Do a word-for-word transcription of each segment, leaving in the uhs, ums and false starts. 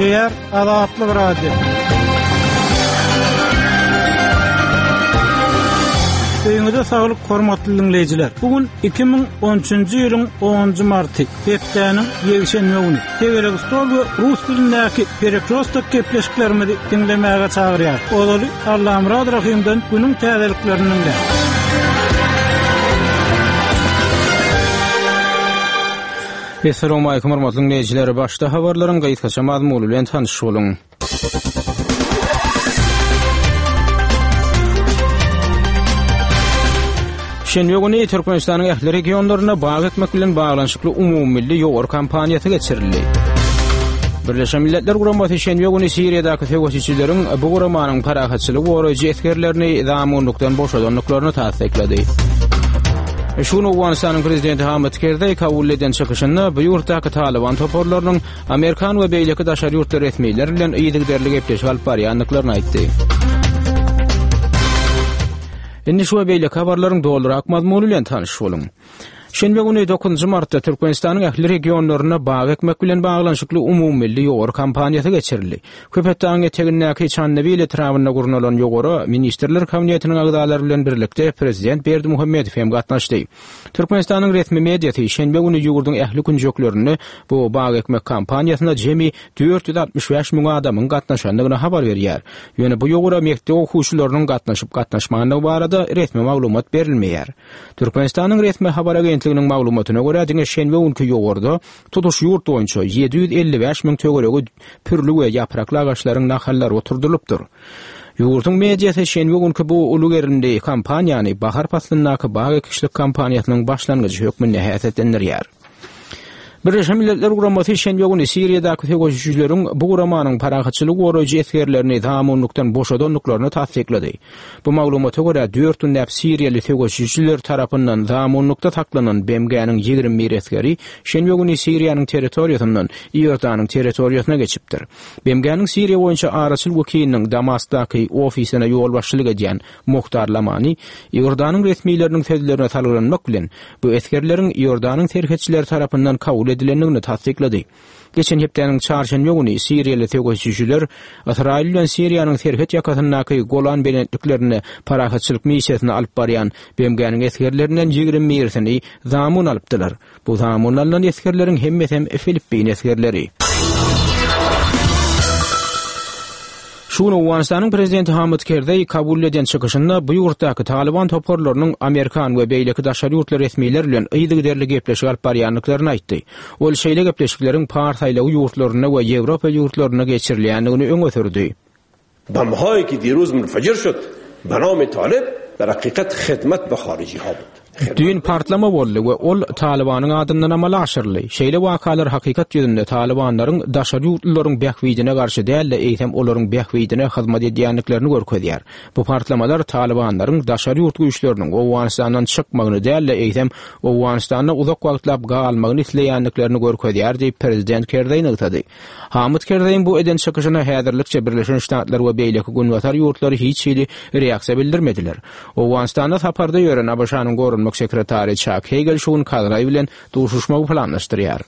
Gepleýär Azatlyk Radiosy. Öýüňize saglyk hormatly dinleýjiler. Bu gün iki müň on üçünji ýylyň onunjy marty, hepdäniň ýekşenbe güni. Tegelek stol we rus dilindäki Perekrostok gepleşiklerimizi diňlemäge çagyrýar. Ozaly Allamurad Rahimden günüň täzeliklerini dinläň. Essalamu alaykum hormatly dinleýjiler. Başda habarlaryň gysgaça mazmuny bilen tanyş boluň. Şenbe güni Türkmenistanyň ähli regionlarynda bag ekmek bilen baglanyşykly umumymilli ýowar kampaniýasy geçirildi. Birleşen Milletler Guramasy şenbe güni Siriýadaky söweşijileriň bu guramanyň parahatçylyk goraýjy esgerlerini zamunlykdan boşadandyklaryny tassyklady. Şu gün Owganystanyň prezidenti Hamid Kerzaý kabul eden çykyşynda bu ýurtdaky Taliban toparlarynyň Amerikan we beýleki daşary ýurtly resmiler bilen yzygiderli gepleşik alyp barýandyklaryny aýtdy. Indi şu we beýleki habarlaryň dolurak mazmuny bilen tanyş boluň. Şenbe güni dokuzynjy martda Türkmenistanyň ähli regionlarynda bag ekmek bilen baglanyşykly umumymilli ýowar kampaniýasy geçirildi. Köpetdagyň etegindäki Çandybil etrabynda gurnalan ýowara Ministrler Kabinetiniň agzalary bilen birlikde Prezident Berdimuhamedow hem gatnaşdy. Türkmenistanyň resmi mediasy şenbe güni ýurduň ähli künjeklerinde bu bag ekmek kampaniýasyna jemi dört ýüz altmyş bäş müň adamyň gatnaşandygyny habar berýär. Ýöne bu ýowara mekdep okuwçylarynyň gatnaşyp gatnaşmandygy barada resmi maglumat berilmeýär. Türkmenistanyň resmi habar agentliginiň maglumatyna görä diňe şenbe günki ýowarda tutuş ýurt boýunça ýedi ýüz elli bäş müň töweregi pürli we ýaprakly agaçlaryň nahallary oturdylypdyr. Ýurduň mediasy şenbe günki bu uly gerimli kampaniýany bahar paslyndaky bag ekişlik kampaniýasynyň başlangyjy hökmünde häsiýetlendirýär. Birleşen Milletler Guramasy şenbe güni Siriýadaky söweşijileriň bu guramanyň parahatçylyk goraýjy esgerlerini zamunlykdan boşadandyklaryny tassyklady. Bu maglumata görä dört günläp Siriýaly söweşijiler tarapyndan zamunlykda saklanan B M G-niň ýigrimi bir esgeri şenbe güni Siriýanyň territoriýasyndan Iordanyň territoriýasyna geçipdir. B M G-niň Siriýa boýunça araçyl wekiliniň Damaskdaky ofisine ýolbaşçylyk edýän Muhtar Lamani Iordanyň resmileriniň sözlerine salgylanmak bilen bu esgerleriň Iordanyň serhetçileri tarapyndan kabul edilendigini tassyklady. Geçen hepdäniň çarşenbe güni Siriýaly söweşijiler Ysraýyl bilen Siriýanyň serhet ýakasyndaky Golan belentliklerinde parahatçylyk missiýasyny alyp barýan B M G-niň esgerlerinden ýigrimi birisini zamun alypdylar. Bu zamun alynan esgerleriň hemmesi hem Filippin esgerleri. Şu gün Owganystanyň prezidenti Hamid Kerzaý kabul eden çykyşynda bu ýurtdaky Taliban toparlarynyň Amerikan we beýleki daşary ýurtly resmiler bilen yzygiderli gepleşik alyp barýandyklaryny aýtdy. Ol şeýle gepleşikleriň Pars aýlagy ýurtlarynda we Ýewropa ýurtlarynda geçirilýändigini öňe sürdi. Bamhaý ki diruz munfajir şud, banam Talib, در haqiqat xidmat be xarijiha bud. Düýn partlama boldy we ol Talibanyň adyndan amala aşyryldy. Şeýle wakalar hakykat ýüzünde Talibanlaryň daşary ýurtlylaryň bähbidine garşy däl-de, eýsem olaryň bähbidine hyzmat edýändiklerini görkezýär. Bu partlamalar Talibanlaryň daşary ýurt güýçleriniň Owganystandan çykmagyny däl-de, eýsem Owganystanda uzak wagtlap galmagyny isleýändiklerini görkezýär diýip prezident Kerzaý nygtady. Hamid Kerzaýyň bu eden çykyşyna häzirlikçe Birleşen Ştatlar we beýleki günbatar ýurtlary hiç hili reaksiýa bildirmediler. Owganystanda saparda ýören A B Ş-nyň goranmak sekretary Çak Hegel şu gün Kazraý bilen duşuşmagy planlaşdyrýar.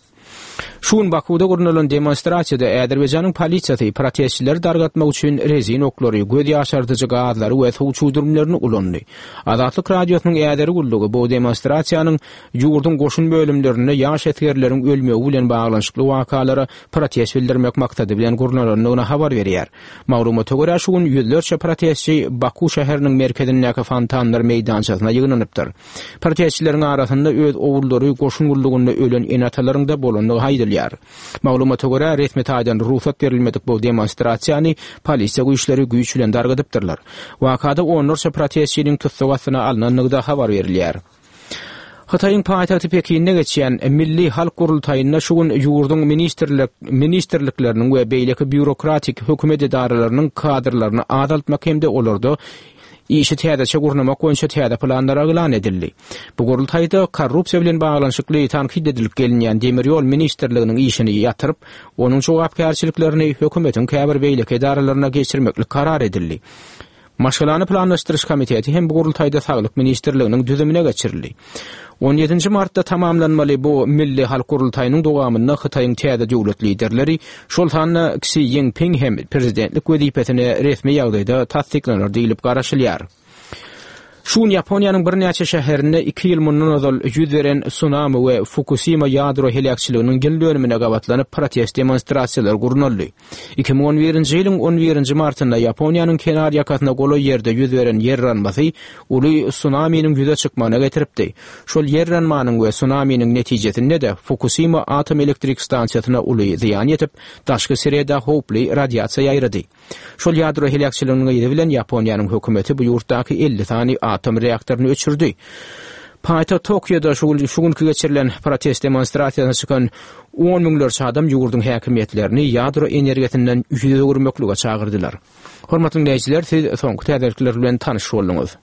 Şu gün Bakuda gurnalan demonstrasiýada Azerbaýjanyň polisiýasy protestçileri dargatmak üçin rezin oklary, göz ýaşardyjy gazlary we suw çüwdürimlerini ulandy. Azatlyk Radiosynyň Äzeri gullugy bu demonstrasiýanyň ýurduň goşun bölümlerinde ýaş esgerleriň ölmegi bilen baglanyşykly wakalara protest bildirmek maksady bilen gurnalandygyny habar berýär. Maglumata görä şu gün ýüzlerçe protestçi Baku şäheriniň merkezindäki fontanlar meýdançasyna ýygnanypdyr. Protestçileriň arasynda öz ogullary goşun gullugynda ölen ene-atalaryň da bolandygy aýdylýar. Maglumata görä resmi taýdan rugsat berilmedik bu demonstrasiýany polisiýa güýçleri güýç bilen dargadypdyrlar. Wakada onlarça protestçiniň tussag astyna alnandygy da habar berilýär. Hytaýyň paýtagty Pekinde geçýän Milli Halk Gurultaýynda şu gün ýurduň ministrlik, ministrlikleriniň we beýleki býurokratik hökümet edaralarynyň kadrlaryny azaltmak hem-de olarda işi täzeçe gurnamak boýunça täze planlar yglan edildi. Bu gurultaýda korrupsiýa bilen baglanyşykly tankyt edilip gelinýän Demir ýol ministrliginiň işini ýatyryp, onuň jogapkärçiliklerini hökümetiň käbir beýleki edaralaryna geçirmeklik karar edildi. Maşgalany planlaşdyryş komiteti hem bu gurultaýda Saglyk ministrliginiň düzümine geçirildi. On ýedinji martda tamamlanmaly bu Milli halk gurultaýynyň dowamynda Hytaýyň täze döwlet liderleri, şol sanda Ksi Ýinping hem prezidentlik wezipesine resmi ýagdaýda tassyklanar diýlip garaşylýar. Şu gün Ýaponiýanyň birnäçe şäherinde iki ýyl mundan ozal ýüz beren sunami we Fukusima ýadro heläkçiliginiň ýyl dönümine gabatlanyp protest demonstrasiýalary gurnaldy. Iki müň on birinji ýylyň on birinji martynda Ýaponiýanyň kenar ýakasyna golaý ýerde ýüz beren ýer yranmasy uly sunaminiň ýüze çykmagyna getiripdi. Şol ýer yranmanyň we sunaminiň netijesinde-de Fukusima atom elektrik stansiýasyna uly zyýan ýetip, daşky sreda howply radiasiýa ýaýrady. Şol ýadro heläkçiliginiň yzy bilen Ýaponiýanyň hökümeti bu ýurtdaky elli sany atom reaktoryny öçürdi. Paýtagt Tokioda şu gün, şu günki geçirilen protest demonstrasiýasyna çykan on müňlerçe adam ýurduň häkimiýetlerini ýadro energiýasyndan ýüz öwürmeklige çagyrdylar. Hormatly diňleýjiler, siz soňky täzelikler bilen tanyş bolduňyz.